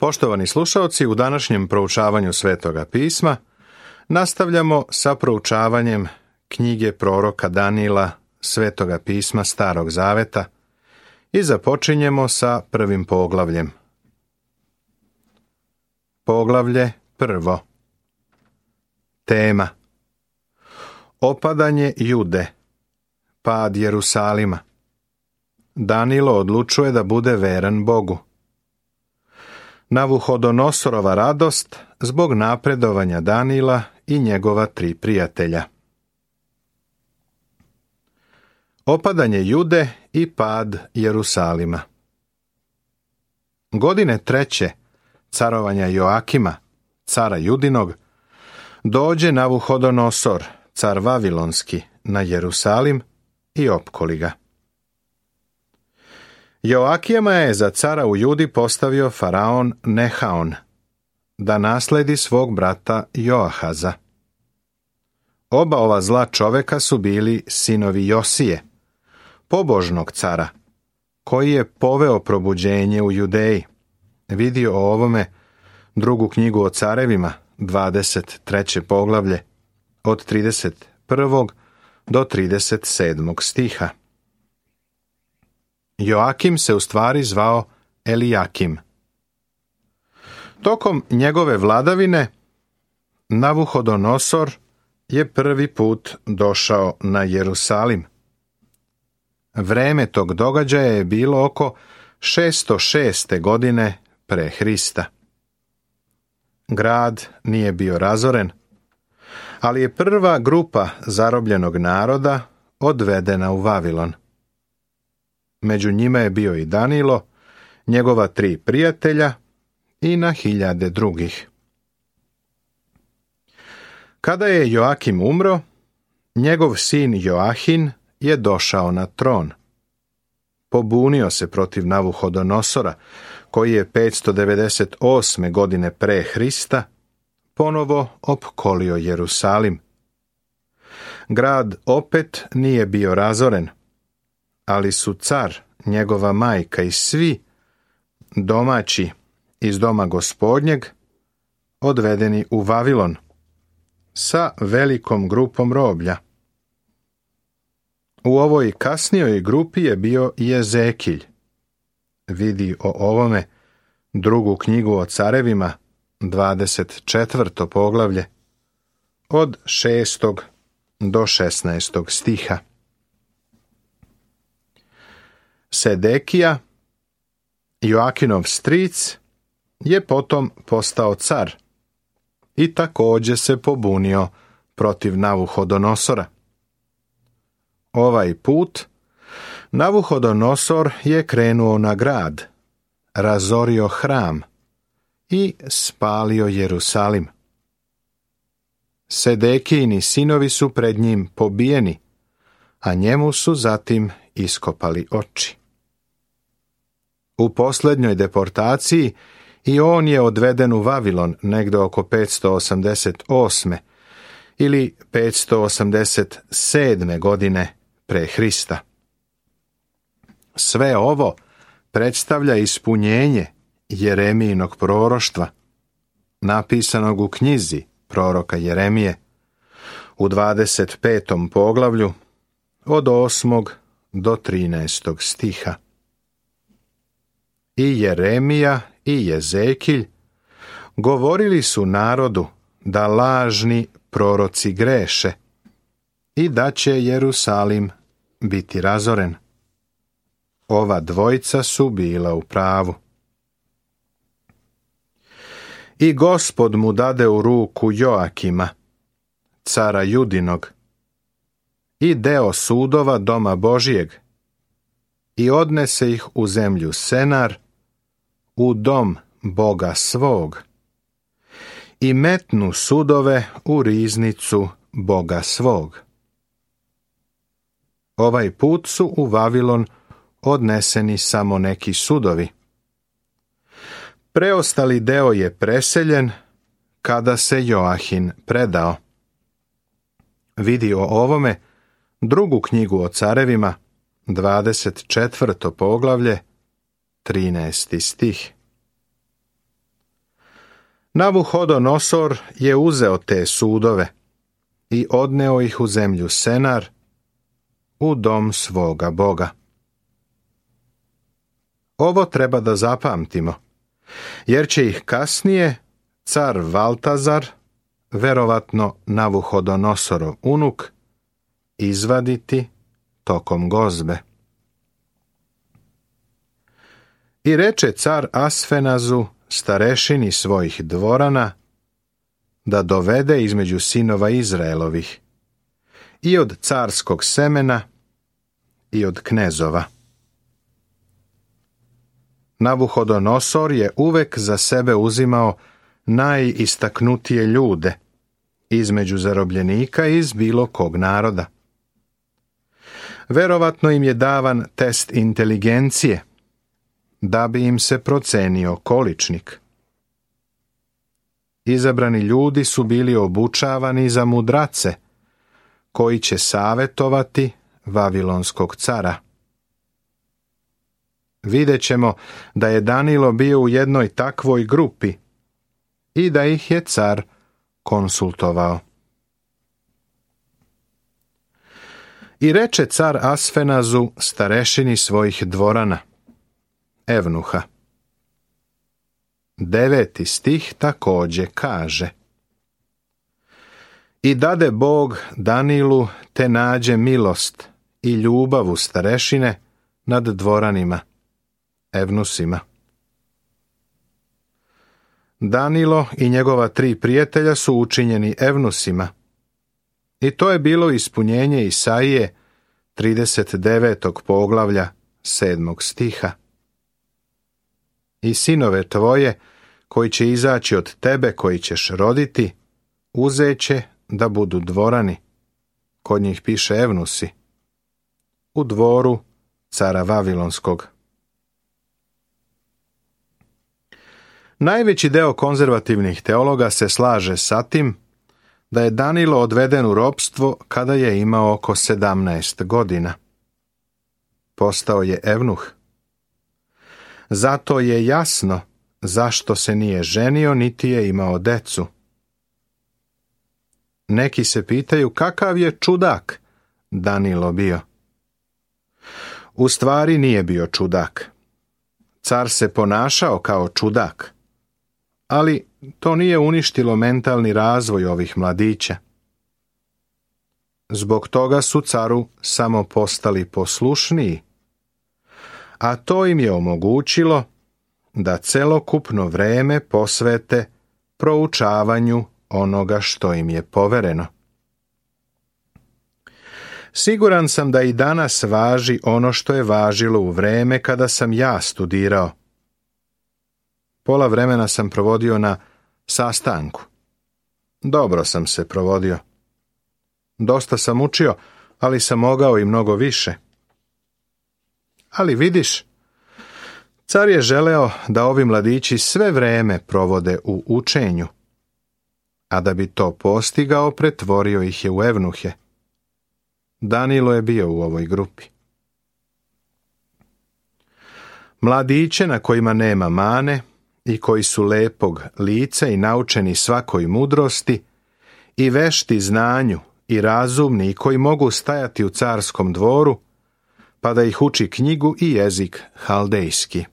Poštovani slušaoci, u današnjem proučavanju Svetoga pisma nastavljamo sa proučavanjem knjige proroka Danila, Svetoga pisma Starog Zaveta i započinjemo sa prvim poglavljem. Poglavlje prvo. Tema: Opadanje Jude, pad Jerusalima. Danilo odlučuje da bude veran Bogu. Navuhodonosorova radost zbog napredovanja Danila i njegova 3 prijatelja. Opadanje Jude i pad Jerusalima. Godine 3. carovanja Joakima, cara Judinog, dođe Navuhodonosor, car Vavilonski, na Jerusalim i opkoli ga. Joakima je za cara u Judi postavio faraon Nehaon, da nasledi svog brata Joahaza. Oba ova zla čoveka su bili sinovi Josije, pobožnog cara, koji je poveo probuđenje u Judeji. Vidi o ovome drugu knjigu o carevima, 23. poglavlje, od 31. do 37. stiha. Joakim se u stvari zvao Elijakim. Tokom njegove vladavine Navuhodonosor je prvi put došao na Jerusalim. Vreme tog događaja je bilo oko 606. godine pre Hrista. Grad nije bio razoren, ali je prva grupa zarobljenog naroda odvedena u Vavilon. Među njima je bio i Danilo, njegova 3 prijatelja i na hiljade drugih. Kada je Joakim umro, njegov sin Joahin je došao na tron. Pobunio se protiv Navuhodonosora, koji je 598. godine pre Hrista ponovo opkolio Jerusalim. Grad opet nije bio razoren, ali su car, njegova majka i svi domaći iz doma Gospodnjeg odvedeni u Vavilon sa velikom grupom roblja. U ovoj kasnijoj grupi je bio i Ezekilj. Vidi o ovome drugu knjigu o carevima, 24. poglavlje, od 6. do 16. stiha. Sedekija, Joakinov stric, je potom postao car i također se pobunio protiv Navuhodonosora. Ovaj put Navuhodonosor je krenuo na grad, razorio hram i spalio Jerusalim. Sedekijini sinovi su pred njim pobijeni, a njemu su zatim iskopali oči. U posljednjoj deportaciji i on je odveden u Vavilon negde oko 588. ili 587. godine pre Hrista. Sve ovo predstavlja ispunjenje Jeremijinog proroštva, napisanog u knjizi proroka Jeremije, u 25. poglavlju, od 8. do 13. stiha. I Jeremija i Ezekilj govorili su narodu da lažni proroci greše i da će Jerusalim biti razoren. Ova dvojica su bila u pravu. I Gospod mu dade u ruku Joakima, cara Judinog, i deo sudova doma Božijeg, i odnese ih u zemlju Senar, u dom Boga svog, i metnu sudove u riznicu Boga svog. Ovaj put su u Vavilon odneseni samo neki sudovi. Preostali deo je preseljen kada se Joahin predao. Vidi o ovome drugu knjigu o carevima, 24. poglavlje, 13. stih. Navuhodonosor je uzeo te sudove i odneo ih u zemlju Senar, u dom svoga Boga. Ovo treba da zapamtimo, jer će ih kasnije car Valtazar, verovatno Navuhodonosorov unuk, izvaditi tokom gozbe. I reče car Asfenazu, starešini svojih dvorana, da dovede između sinova Izraelovih, i od carskog semena, i od knezova. Navuhodonosor je uvek za sebe uzimao najistaknutije ljude između zarobljenika iz bilo kog naroda. Verovatno im je davan test inteligencije, da bi im se procenio količnik. Izabrani ljudi su bili obučavani za mudrace, koji će savetovati Vavilonskog cara. Vidjet ćemo da je Danilo bio u jednoj takvoj grupi i da ih je car konsultovao. I reče car Asfenazu, starešini svojih dvorana, Evnuha. 9. stih takođe kaže: I dade Bog Danilu te nađe milost i ljubav u starešine nad dvoranima, Evnusima. Danilo i njegova 3 prijatelja su učinjeni Evnusima, i to je bilo ispunjenje Isaije 39. poglavlja 7. stiha. I sinove tvoje, koji će izaći od tebe, koji ćeš roditi, uzeće da budu dvorani. Kod njih piše Evnusi. U dvoru cara Vavilonskog. Najveći deo konzervativnih teologa se slaže sa tim da je Danilo odveden u ropstvo kada je imao oko 17 godina. Postao je evnuh. Zato je jasno zašto se nije ženio niti je imao decu. Neki se pitaju kakav je čudak Danilo bio. U stvari nije bio čudak. Car se ponašao kao čudak, ali to nije uništilo mentalni razvoj ovih mladića. Zbog toga su caru samo postali poslušniji, a to im je omogućilo da celokupno vreme posvete proučavanju onoga što im je povereno. Siguran sam da i danas važi ono što je važilo u vreme kada sam ja studirao. Pola vremena sam provodio na sastanku. Dobro sam se provodio. Dosta sam učio, ali sam mogao i mnogo više. Ali vidiš, car je želeo da ovi mladići sve vreme provode u učenju, a da bi to postigao, pretvorio ih je u evnuhe. Danilo je bio u ovoj grupi. Mladiće na kojima nema mane i koji su lepog lica i naučeni svakoj mudrosti i vešti znanju i razumni i koji mogu stajati u carskom dvoru, pa da ih uči knjigu i jezik haldejski.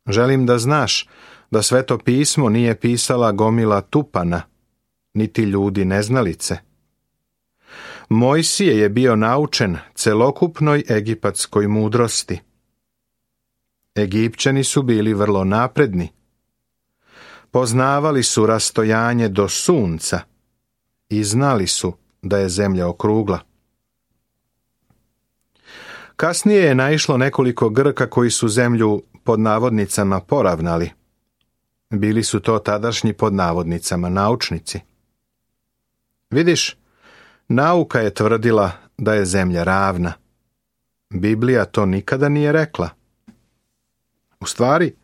Želim da znaš da Sveto pismo nije pisala gomila tupana, niti ljudi neznalice. Mojsije je bio naučen celokupnoj egipatskoj mudrosti. Egipćani su bili vrlo napredni. Poznavali su rastojanje do sunca i znali su da je zemlja okrugla. Kasnije je naišlo nekoliko Grka koji su zemlju pod navodnicama poravnali. Bili su to tadašnji pod navodnicama naučnici. Vidiš, nauka je tvrdila da je zemlja ravna. Biblija to nikada nije rekla. U stvari,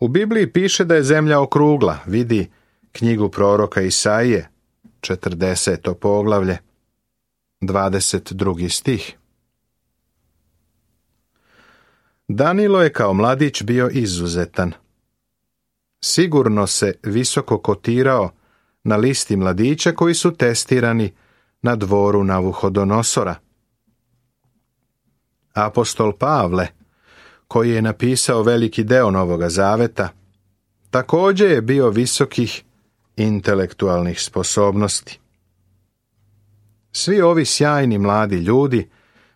u Bibliji piše da je zemlja okrugla. Vidi knjigu proroka Isaije, 40. poglavlje, 22. stih. Danilo je kao mladić bio izuzetan. sigurno se visoko kotirao na listi mladića koji su testirani na dvoru Navuhodonosora. Apostol Pavle, koji je napisao veliki deo Novoga Zaveta, također je bio visokih intelektualnih sposobnosti. Svi ovi sjajni mladi ljudi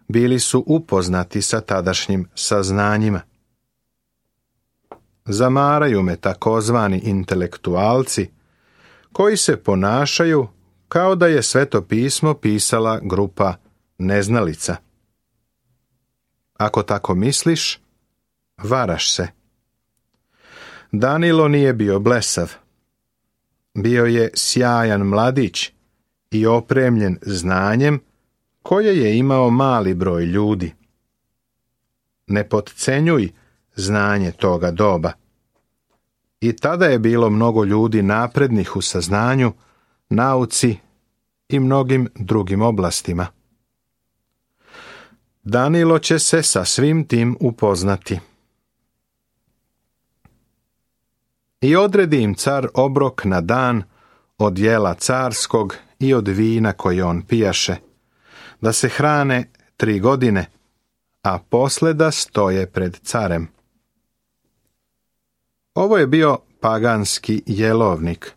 bili su upoznati sa tadašnjim saznanjima. Zamaraju me takozvani intelektualci koji se ponašaju kao da je Sveto pismo pisala grupa neznalica. Ako tako misliš, varaš se. Danilo nije bio blesav. Bio je sjajan mladić i opremljen znanjem koje je imao mali broj ljudi. Ne potcenjuj znanje toga doba. I tada je bilo mnogo ljudi naprednih u saznanju, nauci i mnogim drugim oblastima. Danilo će se sa svim tim upoznati. I odredi im car obrok na dan od jela carskog i od vina koje on pijaše, da se hrane 3 godine, a posle da stoje pred carem. Ovo je bio paganski jelovnik,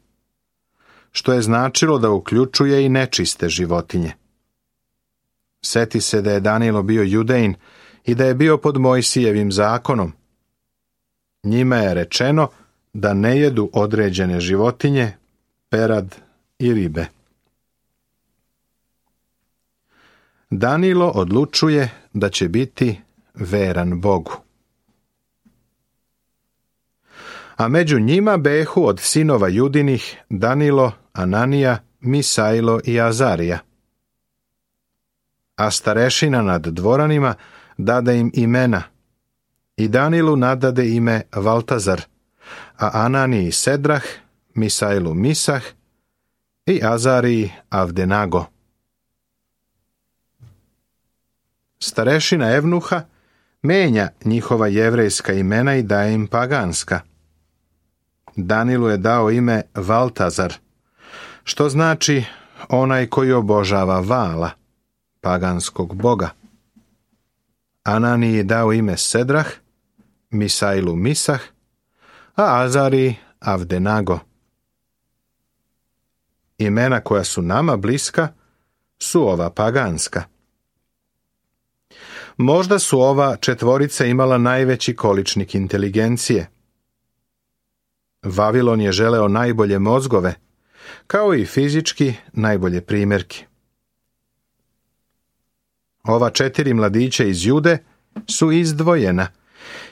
što je značilo da uključuje i nečiste životinje. Seti se da je Danilo bio Judejin i da je bio pod Mojsijevim zakonom. Njima je rečeno da ne jedu određene životinje, perad i ribe. Danilo odlučuje da će biti veran Bogu. A među njima behu od sinova Judinih Danilo, Ananija, Misailo i Azarija. A starešina nad dvoranima dade im imena, i Danilu nadade ime Valtazar, a Ananiji Sedrah, Misailu Misah i Azariji Avdenago. Starešina Evnuha menja njihova jevrejska imena i daje im paganska. Danilu je dao ime Valtazar, što znači onaj koji obožava Vala, paganskog boga. Ananiji je dao ime Sedrah, Misailu Misah, a Azariji Avdenago. Imena koja su nama bliska su ova paganska. Možda su ova četvorica imala najveći količnik inteligencije. Vavilon je želeo najbolje mozgove, kao i fizički najbolje primjerki. Ova 4 mladića iz Jude su izdvojena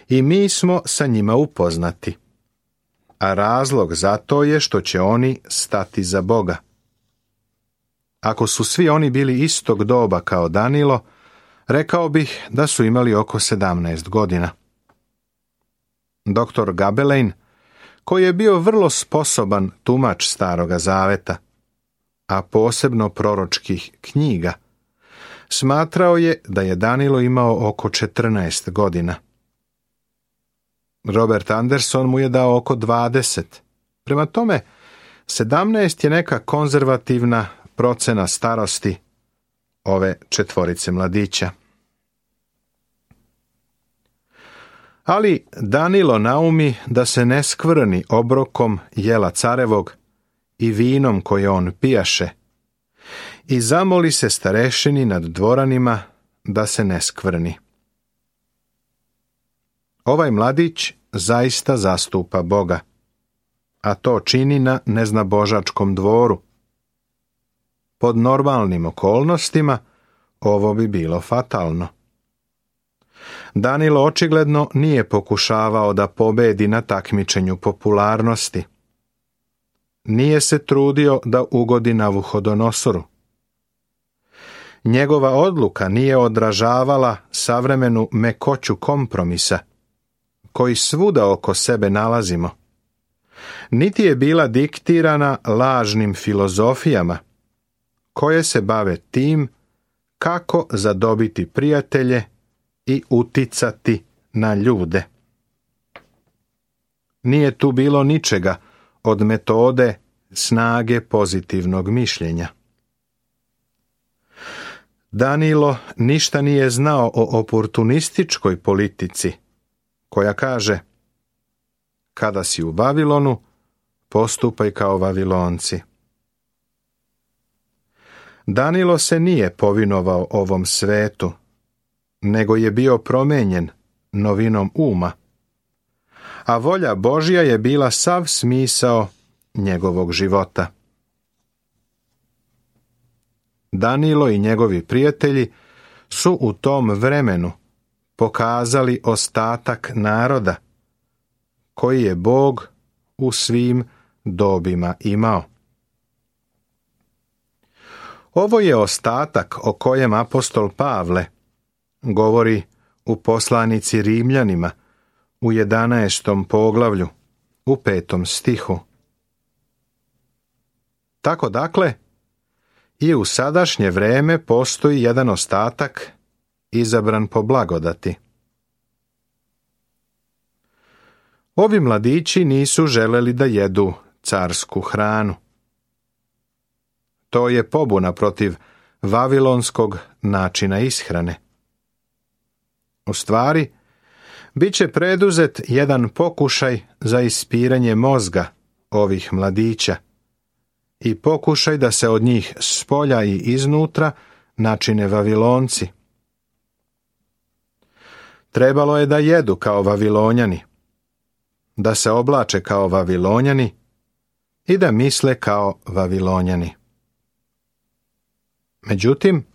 i mi smo sa njima upoznati. A razlog za to je što će oni stati za Boga. Ako su svi oni bili istog doba kao Danilo, rekao bih da su imali oko 17 godina. Doktor Gabelein, koji je bio vrlo sposoban tumač Staroga Zaveta, a posebno proročkih knjiga, smatrao je da je Danilo imao oko 14 godina. Robert Anderson mu je dao oko 20. Prema tome, 17 je neka konzervativna procena starosti ove 4 mladića. Ali Danilo naumi da se ne skvrni obrokom jela carevog i vinom koje on pijaše i zamoli se starešini nad dvoranima da se ne skvrni. Ovaj mladić zaista zastupa Boga, a to čini na neznabožačkom dvoru. Pod normalnim okolnostima ovo bi bilo fatalno. Danilo očigledno nije pokušavao da pobedi na takmičenju popularnosti. Nije se trudio da ugodi Navuhodonosoru. Njegova odluka nije odražavala savremenu mekoću kompromisa, koji svuda oko sebe nalazimo. Niti je bila diktirana lažnim filozofijama, koje se bave tim kako zadobiti prijatelje i uticati na ljude. Nije tu bilo ničega od metode snage pozitivnog mišljenja. Danilo ništa nije znao o oportunističkoj politici, koja kaže: kada si u Vavilonu, postupaj kao Vavilonci. Danilo se nije povinovao ovom svetu, nego je bio promenjen novinom uma, a volja Božja je bila sav smisao njegovog života. Danilo i njegovi prijatelji su u tom vremenu pokazali ostatak naroda koji je Bog u svim dobima imao. Ovo je ostatak o kojem apostol Pavle govori u poslanici Rimljanima u 11. poglavlju u 5. stihu. Tako dakle, i u sadašnje vreme postoji jedan ostatak izabran po blagodati. Ovi mladići nisu želeli da jedu carsku hranu. To je pobuna protiv vavilonskog načina ishrane. U stvari, bit će preduzet jedan pokušaj za ispiranje mozga ovih mladića i pokušaj da se od njih spolja i iznutra načine Vavilonci. Trebalo je da jedu kao Vavilonjani, da se oblače kao Vavilonjani i da misle kao Vavilonjani. Međutim,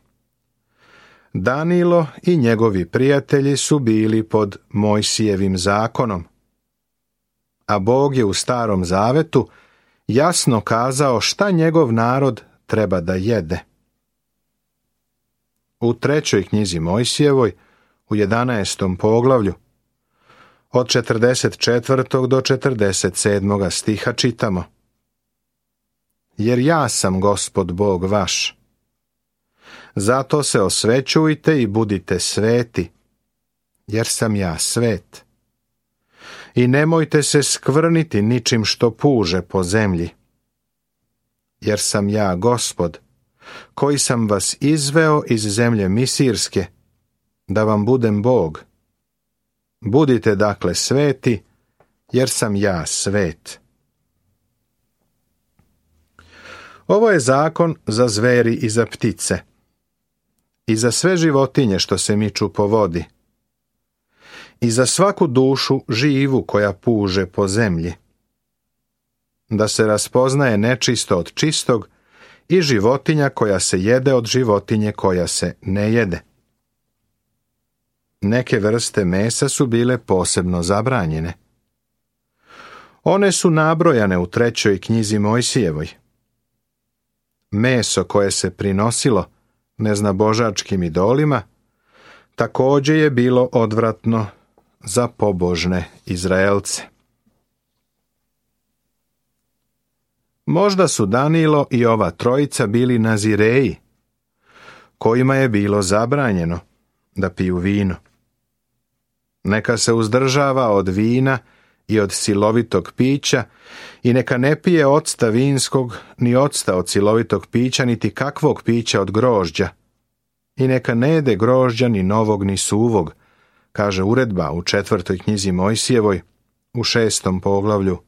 Danilo i njegovi prijatelji su bili pod Mojsijevim zakonom, a Bog je u Starom Zavetu jasno kazao šta njegov narod treba da jede. U 3. knjizi Mojsijevoj, u 11. poglavlju, od 44. do 47. stiha čitamo: jer ja sam Gospod Bog vaš. Zato se osvećujte i budite sveti, jer sam ja svet. I nemojte se skvrniti ničim što puže po zemlji, jer sam ja Gospod, koji sam vas izveo iz zemlje Misirske, da vam budem Bog. Budite dakle sveti, jer sam ja svet. Ovo je zakon za zveri i za ptice, i za sve životinje što se miču po vodi, i za svaku dušu živu koja puže po zemlji, da se raspoznaje nečisto od čistog i životinja koja se jede od životinje koja se ne jede. Neke vrste mesa su bile posebno zabranjene. One su nabrojane u 3. knjizi Mojsijevoj. Meso koje se prinosilo neznabožačkim idolima također je bilo odvratno za pobožne Izraelce. Možda su Danilo i ova trojica bili nazireji, kojima je bilo zabranjeno da piju vino. Neka se uzdržava od vina i od silovitog pića i neka ne pije octa vinskog, ni octa od silovitog pića, niti kakvog pića od grožđa. I neka ne jede grožđa ni novog ni suvog, kaže uredba u 4. knjizi Mojsijevoj, u 6. poglavlju,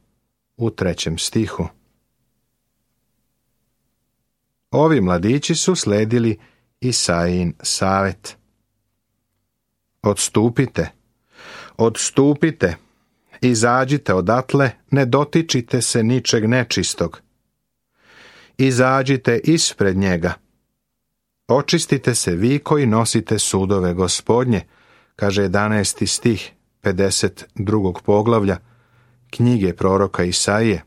u 3. stihu. Ovi mladići su sledili Isajin savet. Odstupite, izađite odatle, ne dotičite se ničeg nečistog. Izađite ispred njega. Očistite se vi koji nosite sudove Gospodnje, kaže 11. stih 52. poglavlja knjige proroka Isaije,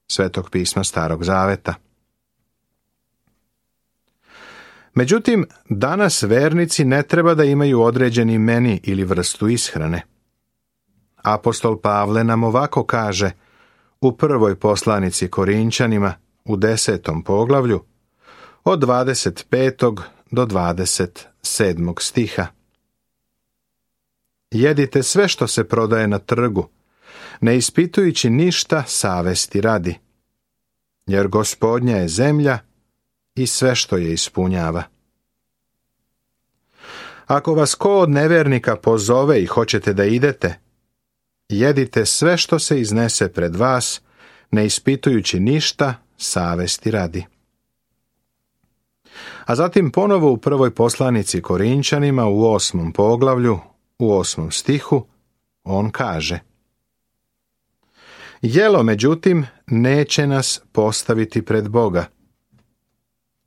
Svetog pisma Starog Zaveta. Međutim, danas vernici ne treba da imaju određeni meni ili vrstu ishrane. Apostol Pavle nam ovako kaže u 1. poslanici Korinčanima u 10. poglavlju od 25. do 27. stiha. Jedite sve što se prodaje na trgu, ne ispitujući ništa savesti radi, jer Gospodnja je zemlja i sve što je ispunjava. Ako vas ko od nevernika pozove i hoćete da idete, jedite sve što se iznese pred vas, ne ispitujući ništa savesti radi. A zatim ponovo u prvoj poslanici Korinćanima u 8. poglavlju, u 8. stihu, on kaže: Jelo, međutim, neće nas postaviti pred Boga.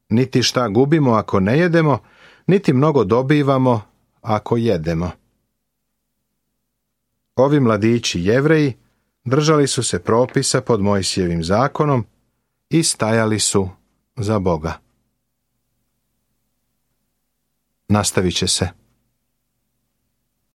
Niti šta gubimo ako ne jedemo, niti mnogo dobivamo ako jedemo. Ovi mladići Jevreji držali su se propisa pod Mojsijevim zakonom i stajali su za Boga. Nastavit će se.